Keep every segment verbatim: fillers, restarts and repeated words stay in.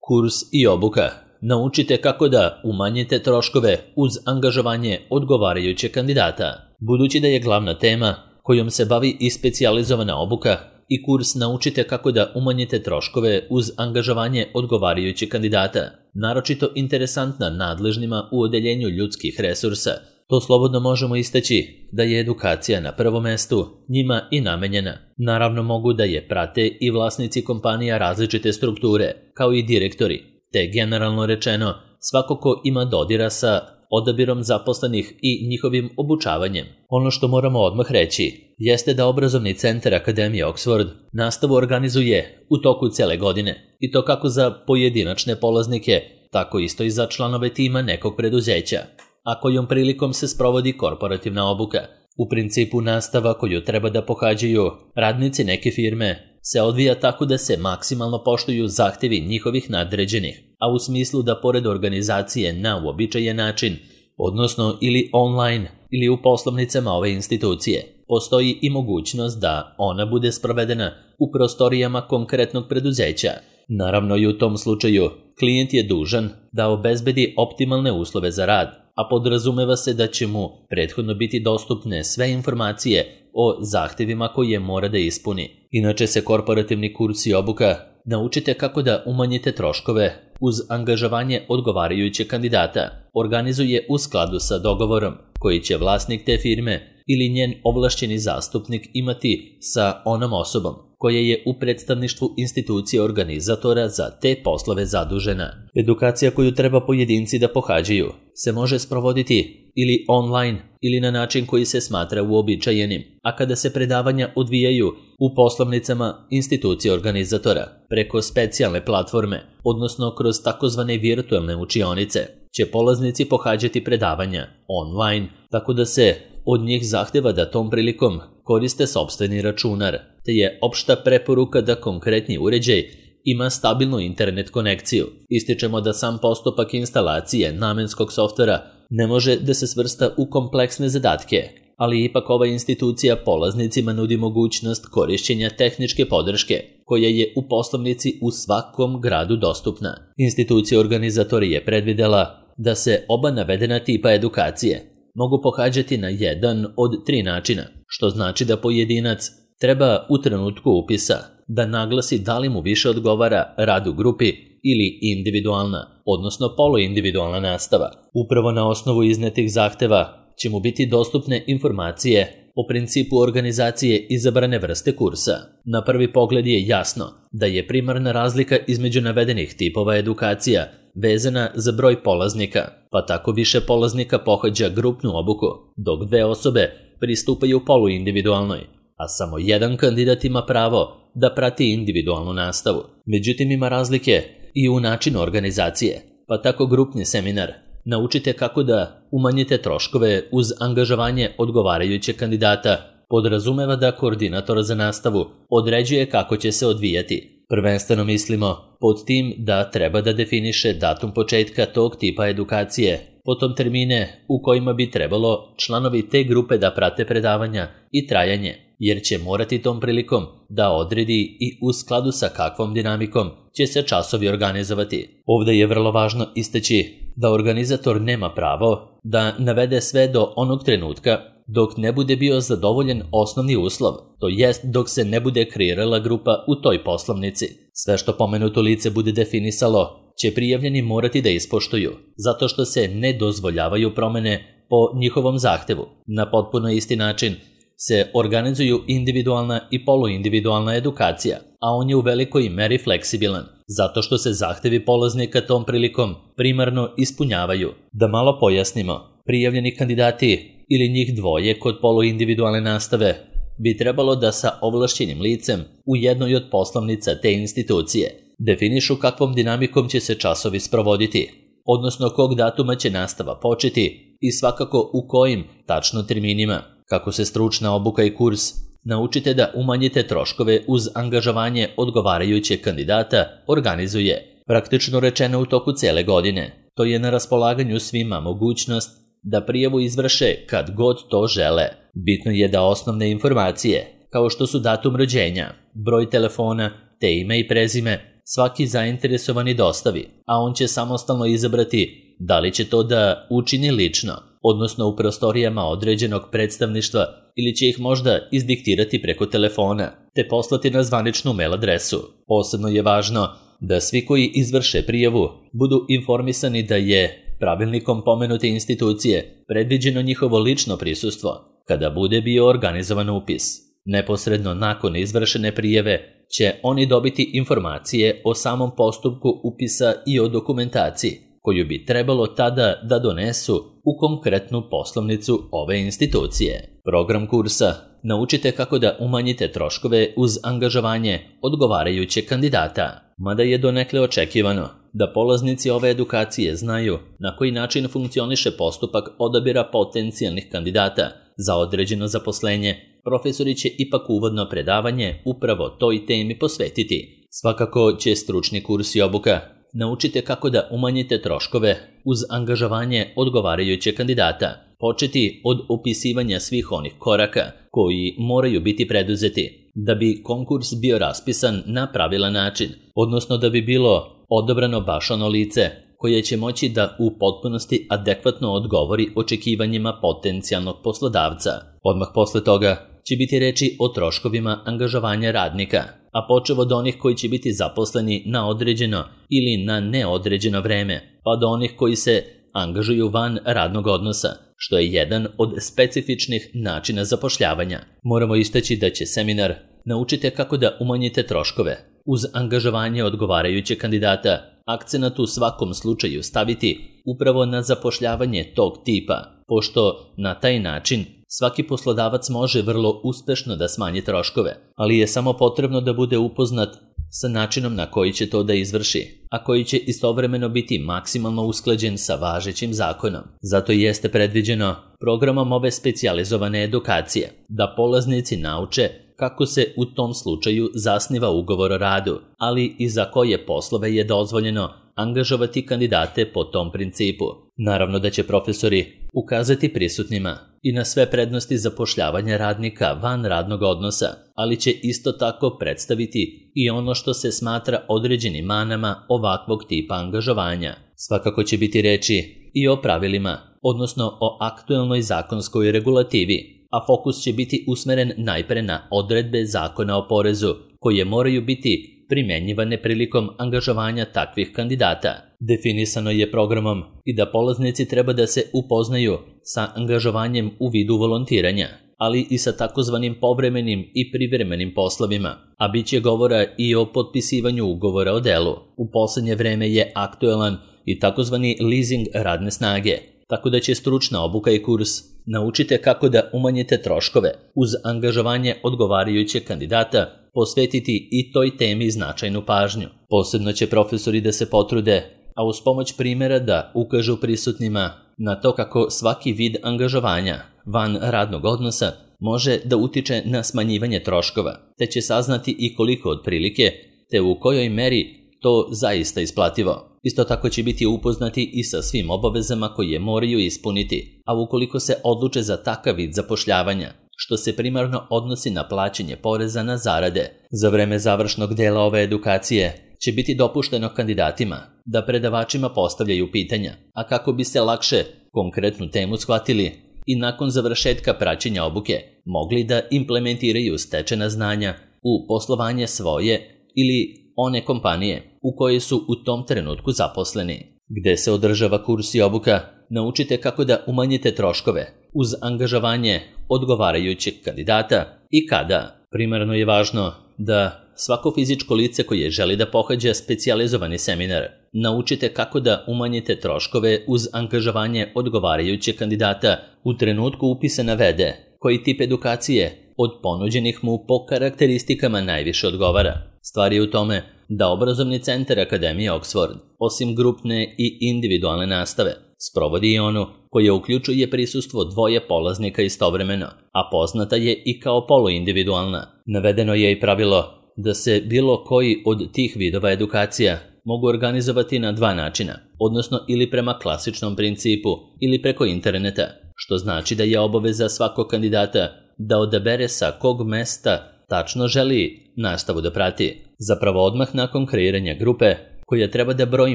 Kurs i obuka. Naučite kako da umanjite troškove uz angažovanje odgovarajućeg kandidata. Budući da je glavna tema kojom se bavi i specijalizovana obuka i kurs Naučite kako da umanjite troškove uz angažovanje odgovarajućeg kandidata, naročito interesantna nadležnima u odeljenju ljudskih resursa, to slobodno možemo istaći da je edukacija na prvom mestu njima i namenjena. Naravno mogu da je prate i vlasnici kompanija različite strukture, kao i direktori, te generalno rečeno svako ko ima dodira sa odabirom zaposlenih i njihovim obučavanjem. Ono što moramo odmah reći jeste da obrazovni centar Akademije Oxford nastavu organizuje u toku cele godine, i to kako za pojedinačne polaznike, tako isto i za članove tima nekog preduzeća, a kojom prilikom se sprovodi korporativna obuka. U principu nastava koju treba da pohađaju radnici neke firme se odvija tako da se maksimalno poštuju zahtevi njihovih nadređenih, a u smislu da pored organizacije na uobičajen način, odnosno ili online ili u poslovnicama ove institucije, postoji i mogućnost da ona bude sprovedena u prostorijama konkretnog preduzeća. Naravno i u tom slučaju klijent je dužan da obezbedi optimalne uslove za rad, a podrazumeva se da će mu prethodno biti dostupne sve informacije o zahtevima koje mora da ispuni. Inače se korporativni kurs i obuka Naučite kako da umanjite troškove uz angažovanje odgovarajućeg kandidata organizuje u skladu sa dogovorom koji će vlasnik te firme ili njen ovlašćeni zastupnik imati sa onom osobom koja je u predstavništvu institucije organizatora za te poslove zadužena. Edukacija koju treba pojedinci da pohađaju se može sprovoditi ili online ili na način koji se smatra uobičajenim, a kada se predavanja odvijaju u poslovnicama institucije organizatora preko specijalne platforme, odnosno kroz takozvane virtualne učionice, će polaznici pohađati predavanja online, tako da se od njih zahteva da tom prilikom koriste sopstveni računar, te je opšta preporuka da konkretni uređaj ima stabilnu internet konekciju. Ističemo da sam postupak instalacije namenskog softvera ne može da se svrsta u kompleksne zadatke, ali ipak ova institucija polaznicima nudi mogućnost korišćenja tehničke podrške, koja je u poslovnici u svakom gradu dostupna. Institucija organizatori je predvidela da se oba navedena tipa edukacije mogu pohađati na jedan od tri načina, što znači da pojedinac treba u trenutku upisa da naglasi da li mu više odgovara rad u grupi ili individualna, odnosno poluindividualna nastava. Upravo na osnovu iznetih zahteva će mu biti dostupne informacije o principu organizacije izabrane vrste kursa. Na prvi pogled je jasno da je primarna razlika između navedenih tipova edukacija vezana za broj polaznika, pa tako više polaznika pohađa grupnu obuku, dok dve osobe pristupaju poluindividualnoj, a samo jedan kandidat ima pravo da prati individualnu nastavu. Međutim, ima razlike i u načinu organizacije, pa tako grupni seminar Naučite kako da umanjite troškove uz angažovanje odgovarajućeg kandidata podrazumeva da koordinator za nastavu određuje kako će se odvijati. Prvenstveno mislimo pod tim da treba da definiše datum početka tog tipa edukacije, potom termine u kojima bi trebalo članovi te grupe da prate predavanja i trajanje, jer će morati tom prilikom da odredi i u skladu sa kakvom dinamikom će se časovi organizovati. Ovdje je vrlo važno istaći da organizator nema pravo da navede sve do onog trenutka dok ne bude bio zadovoljen osnovni uslov, to jest dok se ne bude kreirala grupa u toj poslovnici. Sve što pomenuto lice bude definisalo će prijavljeni morati da ispoštuju, zato što se ne dozvoljavaju promene po njihovom zahtevu. Na potpuno isti način se organizuju individualna i poluindividualna edukacija, a on je u velikoj meri fleksibilan, zato što se zahtevi polaznika tom prilikom primarno ispunjavaju. Da malo pojasnimo, prijavljeni kandidati ili njih dvoje kod poluindividualne nastave bi trebalo da sa ovlašćenim licem u jednoj od poslovnica te institucije definišu kakvom dinamikom će se časovi sprovoditi, odnosno kog datuma će nastava početi i svakako u kojim tačno terminima. Kako se stručna obuka i kurs Naučite da umanjite troškove uz angažovanje odgovarajućeg kandidata organizuje, praktično rečeno u toku cele godine. To je na raspolaganju svima mogućnost da prijavu izvrše kad god to žele. Bitno je da osnovne informacije, kao što su datum rođenja, broj telefona, te ime i prezime, svaki zainteresovani dostavi, a on će samostalno izabrati da li će to da učini lično, odnosno u prostorijama određenog predstavništva, ili će ih možda izdiktirati preko telefona, te poslati na zvaničnu mail adresu. Posebno je važno da svi koji izvrše prijavu budu informisani da je pravilnikom pomenute institucije predviđeno njihovo lično prisustvo kada bude bio organizovan upis. Neposredno nakon izvršene prijave će oni dobiti informacije o samom postupku upisa i o dokumentaciji koju bi trebalo tada da donesu u konkretnu poslovnicu ove institucije. Program kursa Naučite kako da umanjite troškove uz angažovanje odgovarajućeg kandidata. Mada je donekle očekivano da polaznici ove edukacije znaju na koji način funkcioniše postupak odabira potencijalnih kandidata za određeno zaposlenje, profesori će ipak uvodno predavanje upravo toj temi posvetiti. Svakako će stručni kurs i obuka Naučite kako da umanjite troškove uz angažovanje odgovarajućeg kandidata početi od opisivanja svih onih koraka koji moraju biti preduzeti da bi konkurs bio raspisan na pravilan način, odnosno da bi bilo odabrano baš ono lice koje će moći da u potpunosti adekvatno odgovori očekivanjima potencijalnog poslodavca. Odmah posle toga će biti reči o troškovima angažovanja radnika, a počev od onih koji će biti zaposleni na određeno ili na neodređeno vreme, pa do onih koji se angažuju van radnog odnosa, što je jedan od specifičnih načina zapošljavanja. Moramo istaći da će seminar Naučite kako da umanjite troškove uz angažovanje odgovarajućeg kandidata akcenat u svakom slučaju staviti upravo na zapošljavanje tog tipa, pošto na taj način svaki poslodavac može vrlo uspešno da smanji troškove, ali je samo potrebno da bude upoznat sa načinom na koji će to da izvrši, a koji će istovremeno biti maksimalno usklađen sa važećim zakonom. Zato jeste predviđeno programom ove specijalizovane edukacije da polaznici nauče kako se u tom slučaju zasniva ugovor o radu, ali i za koje poslove je dozvoljeno angažovati kandidate po tom principu. Naravno da će profesori ukazati prisutnima i na sve prednosti zapošljavanja radnika van radnog odnosa, ali će isto tako predstaviti i ono što se smatra određenim manama ovakvog tipa angažovanja. Svakako će biti reči i o pravilima, odnosno o aktuelnoj zakonskoj regulativi, a fokus će biti usmeren najpre na odredbe zakona o porezu, koje moraju biti primenjivane prilikom angažovanja takvih kandidata. Definisano je programom i da polaznici treba da se upoznaju sa angažovanjem u vidu volontiranja, ali i sa takozvanim povremenim i privremenim poslovima, a bit će govora i o potpisivanju ugovora o delu. U poslednje vreme je aktuelan i takozvani leasing radne snage, tako da će stručna obuka i kurs Naučite kako da umanjite troškove uz angažovanje odgovarajućeg kandidata posvetiti i toj temi značajnu pažnju. Posebno će profesori da se potrude, a uz pomoć primjera da ukažu prisutnima na to kako svaki vid angažovanja van radnog odnosa može da utiče na smanjivanje troškova, te će saznati i koliko otprilike, te u kojoj meri to zaista isplativo. Isto tako će biti upoznati i sa svim obavezama koje moraju ispuniti, a ukoliko se odluče za takav vid zapošljavanja, što se primarno odnosi na plaćanje poreza na zarade. Za vreme završnog dela ove edukacije će biti dopušteno kandidatima da predavačima postavljaju pitanja, a kako bi se lakše konkretnu temu shvatili i nakon završetka praćenja obuke mogli da implementiraju stečena znanja u poslovanje svoje ili one kompanije u koje su u tom trenutku zaposleni. Gde se održava kurs i obuka, naučite kako da umanjite troškove uz angažovanje odgovarajućeg kandidata i kada. Primarno je važno da svako fizičko lice koje želi da pohađa specijalizovani seminar naučite kako da umanjite troškove uz angažovanje odgovarajućeg kandidata u trenutku upisa navede koji tip edukacije od ponuđenih mu po karakteristikama najviše odgovara. Stvar je u tome da obrazovni centar Akademije Oxford, osim grupne i individualne nastave, sprovodi i onu koja uključuje prisustvo dvoje polaznika istovremeno, a poznata je i kao poluindividualna. Navedeno je i pravilo da se bilo koji od tih vidova edukacija mogu organizovati na dva načina, odnosno ili prema klasičnom principu ili preko interneta, što znači da je obaveza svakog kandidata da odabere sa kog mesta tačno želi nastavu da prati. zapravo odmah nakon kreiranja grupe koja treba da broji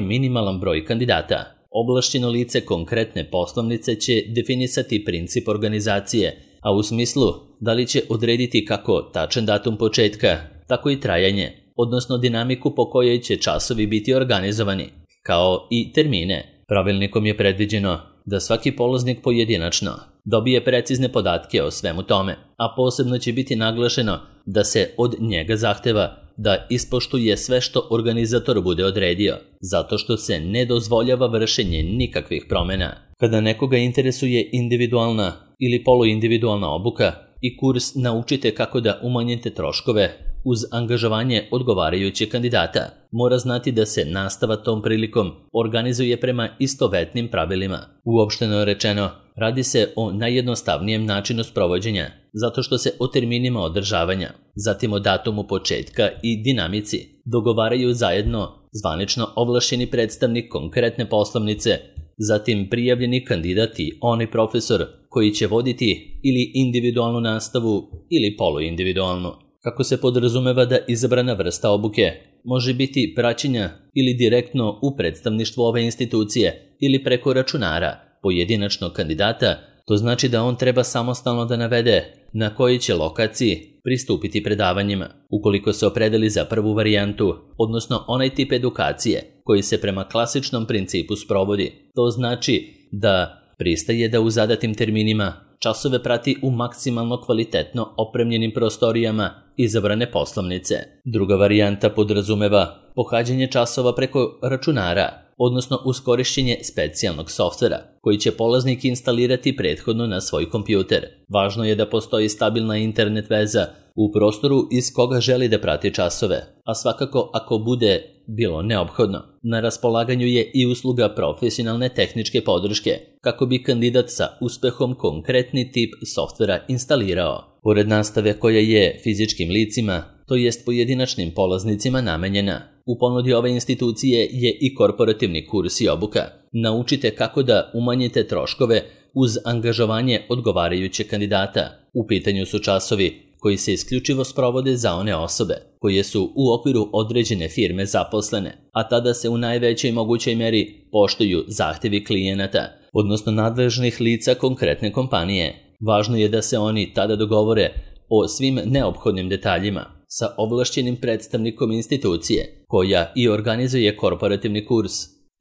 minimalan broj kandidata. Ovlašćeno lice konkretne poslovnice će definisati princip organizacije, a u smislu da li će odrediti kako tačan datum početka, tako i trajanje, odnosno dinamiku po kojoj će časovi biti organizovani, kao i termine. Pravilnikom je predviđeno da svaki polaznik pojedinačno dobije precizne podatke o svemu tome, a posebno će biti naglašeno da se od njega zahteva da ispoštuje sve što organizator bude odredio, zato što se ne dozvoljava vršenje nikakvih promjena. Kada nekoga interesuje individualna ili poluindividualna obuka i kurs Naučite kako da umanjite troškove uz angažovanje odgovarajućeg kandidata, mora znati da se nastava tom prilikom organizuje prema istovetnim pravilima. Uopšteno rečeno, radi se o najjednostavnijem načinu sprovođenja, zato što se o terminima održavanja, zatim o datumu početka i dinamici dogovaraju zajedno zvanično ovlašćeni predstavnik konkretne poslovnice, zatim prijavljeni kandidat i onaj profesor koji će voditi ili individualnu nastavu ili poluindividualnu. Kako se podrazumeva da izabrana vrsta obuke može biti praćenja ili direktno u predstavništvu ove institucije ili preko računara pojedinačnog kandidata, to znači da on treba samostalno da navede na kojoj će lokaciji pristupiti predavanjima. Ukoliko se opredeli za prvu varijantu, odnosno onaj tip edukacije koji se prema klasičnom principu sprovodi, to znači da pristaje da u zadatim terminima časove prati u maksimalno kvalitetno opremljenim prostorijama izabrane poslovnice. Druga varijanta podrazumeva pohađanje časova preko računara, odnosno uz korišćenje specijalnog softvera koji će polaznik instalirati prethodno na svoj kompjuter. Važno je da postoji stabilna internet veza u prostoru iz koga želi da prati časove, a svakako ako bude bilo neophodno, na raspolaganju je i usluga profesionalne tehničke podrške kako bi kandidat sa uspehom konkretni tip softvera instalirao. Pored nastave koja je fizičkim licima, to jest pojedinačnim polaznicima namenjena, u ponudi ove institucije je i korporativni kurs i obuka. Naučite kako da umanjite troškove uz angažovanje odgovarajućeg kandidata. U pitanju su časovi koji se isključivo sprovode za one osobe koje su u okviru određene firme zaposlene, a tada se u najvećoj mogućoj meri poštuju zahtevi klijenata, odnosno nadležnih lica konkretne kompanije. Važno je da se oni tada dogovore o svim neophodnim detaljima sa ovlašćenim predstavnikom institucije koja i organizuje korporativni kurs,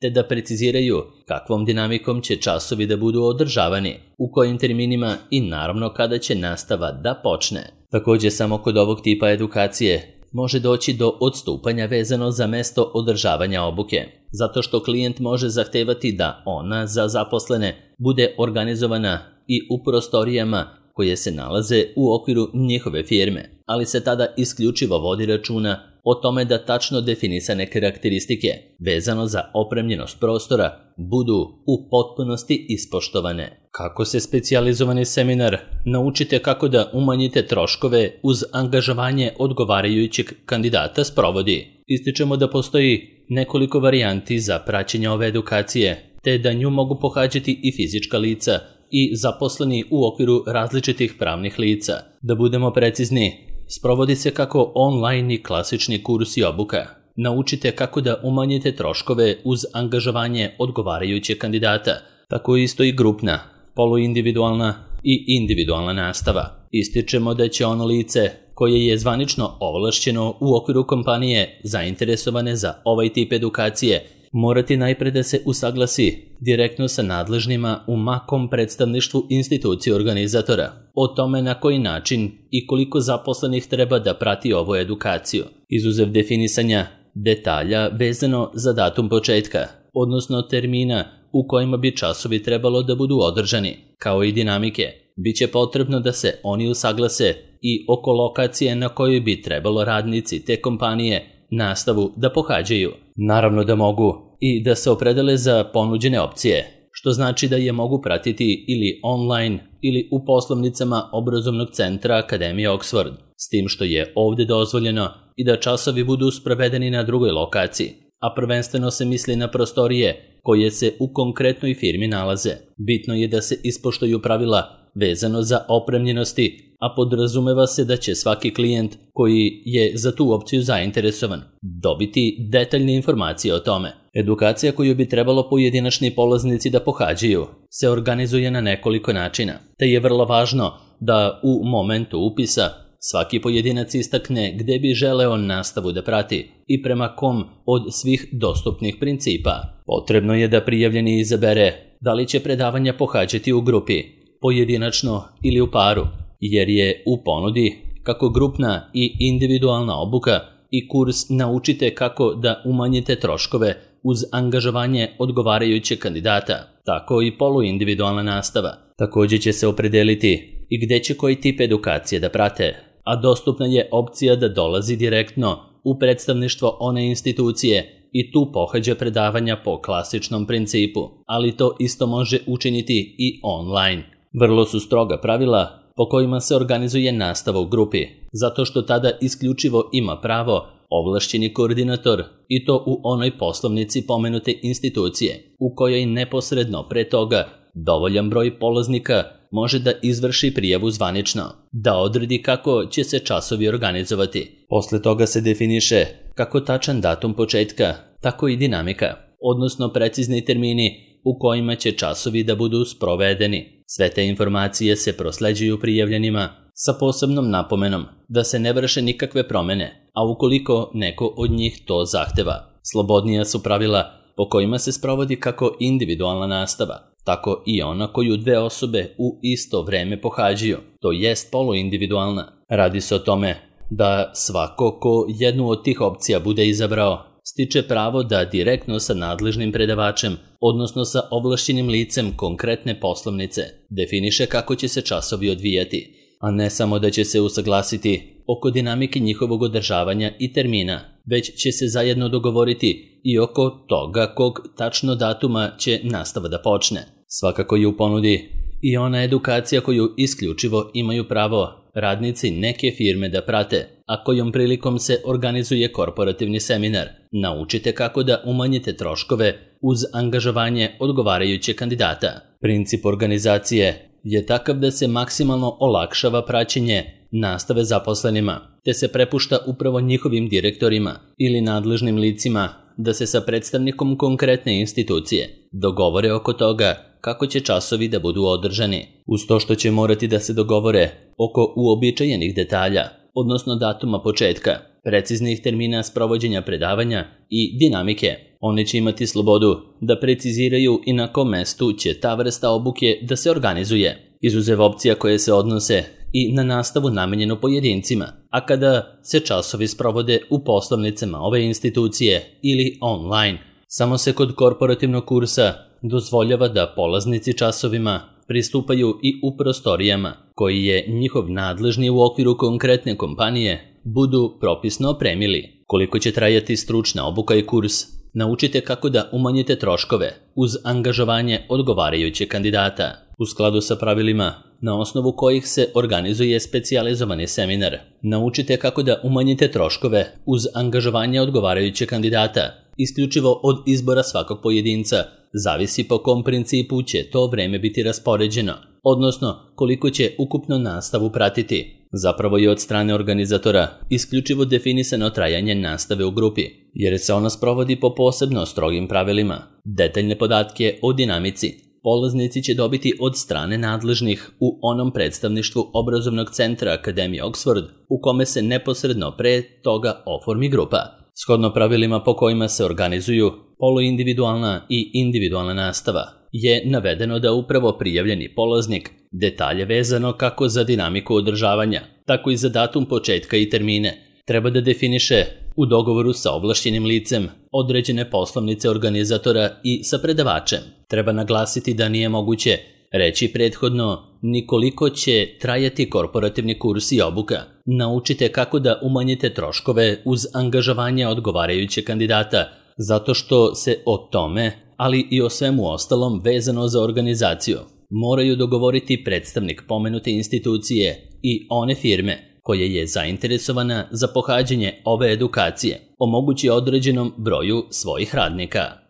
te da preciziraju kakvom dinamikom će časovi da budu održavani, u kojim terminima i naravno kada će nastava da počne. Također samo kod ovog tipa edukacije može doći do odstupanja vezano za mesto održavanja obuke, zato što klijent može zahtevati da ona za zaposlene bude organizovana i u prostorijama koje se nalaze u okviru njihove firme, ali se tada isključivo vodi računa o tome da tačno definisane karakteristike vezano za opremljenost prostora budu u potpunosti ispoštovane. Kako se specijalizovani seminar Naučite kako da umanjite troškove uz angažovanje odgovarajućeg kandidata sprovodi? Ističemo da postoji nekoliko varijanti za praćenje ove edukacije, te da nju mogu pohađati i fizička lica i zaposleni u okviru različitih pravnih lica. Da budemo precizni, sprovodi se kako online i klasični kurs i obuka. Naučite kako da umanjite troškove uz angažovanje odgovarajućeg kandidata, tako isto i grupna, poluindividualna i individualna nastava. Ističemo da će ono lice koje je zvanično ovlašćeno u okviru kompanije zainteresovane za ovaj tip edukacije morati najpre da se usaglasi direktno sa nadležnima u makom predstavništvu institucije organizatora o tome na koji način i koliko zaposlenih treba da prati ovu edukaciju, izuzev definisanja detalja vezano za datum početka, odnosno termina u kojima bi časovi trebalo da budu održani, kao i dinamike. Biće potrebno da se oni usaglase i oko lokacije na kojoj bi trebalo radnici te kompanije nastavu da pohađaju. Naravno da mogu i da se opredele za ponuđene opcije, što znači da je mogu pratiti ili online ili u poslovnicama obrazovnog centra Akademije Oxford, s tim što je ovdje dozvoljeno i da časovi budu sprovedeni na drugoj lokaciji, a prvenstveno se misli na prostorije koje se u konkretnoj firmi nalaze. Bitno je da se ispoštuju pravila vezano za opremljenosti, a podrazumeva se da će svaki klijent koji je za tu opciju zainteresovan dobiti detaljne informacije o tome. Edukacija koju bi trebalo pojedinačni polaznici da pohađaju se organizuje na nekoliko načina, te je vrlo važno da u momentu upisa svaki pojedinac istakne gde bi želeo nastavu da prati i prema kom od svih dostupnih principa. Potrebno je da prijavljeni izabere da li će predavanja pohađati u grupi, pojedinačno ili u paru, jer je u ponudi kako grupna i individualna obuka i kurs Naučite kako da umanjite troškove uz angažovanje odgovarajućeg kandidata, tako i poluindividualna nastava. Također će se opredeliti i gde će koji tip edukacije da prate, a dostupna je opcija da dolazi direktno u predstavništvo one institucije i tu pohađa predavanja po klasičnom principu, ali to isto može učiniti i online. Vrlo su stroga pravila po kojima se organizuje nastava u grupi, zato što tada isključivo ima pravo ovlašćeni koordinator i to u onoj poslovnici pomenute institucije, u kojoj neposredno pre toga dovoljan broj polaznika može da izvrši prijavu zvanično, da odredi kako će se časovi organizovati. Posle toga se definiše kako tačan datum početka, tako i dinamika, odnosno precizni termini u kojima će časovi da budu sprovedeni. Sve te informacije se prosleđuju prijavljenima sa posebnom napomenom da se ne vrše nikakve promene, a ukoliko neko od njih to zahteva. Slobodnija su pravila po kojima se sprovodi kako individualna nastava, tako i ona koju dve osobe u isto vreme pohađaju, to jest poluindividualna. Radi se o tome da svako ko jednu od tih opcija bude izabrao, stiče pravo da direktno sa nadležnim predavačem, odnosno sa ovlašćenim licem konkretne poslovnice, definiše kako će se časovi odvijati, a ne samo da će se usaglasiti oko dinamike njihovog održavanja i termina, već će se zajedno dogovoriti i oko toga kog tačno datuma će nastava da počne. Svakako je u ponudi i ona edukacija koju isključivo imaju pravo radnici neke firme da prate, a kojom prilikom se organizuje korporativni seminar. Naučite kako da umanjite troškove uz angažovanje odgovarajućeg kandidata. Princip organizacije je takav da se maksimalno olakšava praćenje nastave zaposlenima, te se prepušta upravo njihovim direktorima ili nadležnim licima da se sa predstavnikom konkretne institucije dogovore oko toga kako će časovi da budu održani, uz to što će morati da se dogovore oko uobičajenih detalja, odnosno datuma početka, preciznih termina sprovođenja predavanja i dinamike. Oni će imati slobodu da preciziraju i na kom mestu će ta vrsta obuke da se organizuje, izuzev opcija koje se odnose i na nastavu namenjenu pojedincima, a kada se časovi sprovode u poslovnicama ove institucije ili online. Samo se kod korporativnog kursa dozvoljava da polaznici časovima pristupaju i u prostorijama koji je njihov nadležni u okviru konkretne kompanije budu propisno opremili. Koliko će trajati stručna obuka i kurs, naučite kako da umanjite troškove uz angažovanje odgovarajućeg kandidata. U skladu sa pravilima na osnovu kojih se organizuje specijalizovani seminar, naučite kako da umanjite troškove uz angažovanje odgovarajućeg kandidata. Isključivo od izbora svakog pojedinca zavisi po kom principu će to vreme biti raspoređeno, odnosno koliko će ukupno nastavu pratiti. Zapravo je od strane organizatora isključivo definisano trajanje nastave u grupi, jer se ona sprovodi po posebno strogim pravilima. Detaljne podatke o dinamici polaznici će dobiti od strane nadležnih u onom predstavništvu obrazovnog centra Akademije Oxford u kome se neposredno pre toga oformi grupa. Shodno pravilima po kojima se organizuju poluindividualna i individualna nastava, je navedeno da upravo prijavljeni polaznik detalje vezano kako za dinamiku održavanja, tako i za datum početka i termine treba da definiše u dogovoru sa ovlašćenim licem određene poslovnice organizatora i sa predavačem. Treba naglasiti da nije moguće reći prethodno ni koliko će trajati korporativni kurs i obuka. Naučite kako da umanjite troškove uz angažovanje odgovarajućeg kandidata, zato što se o tome, ali i o svemu ostalom vezano za organizaciju, moraju dogovoriti predstavnik pomenute institucije i one firme koja je zainteresovana za pohađanje ove edukacije, omogući određenom broju svojih radnika.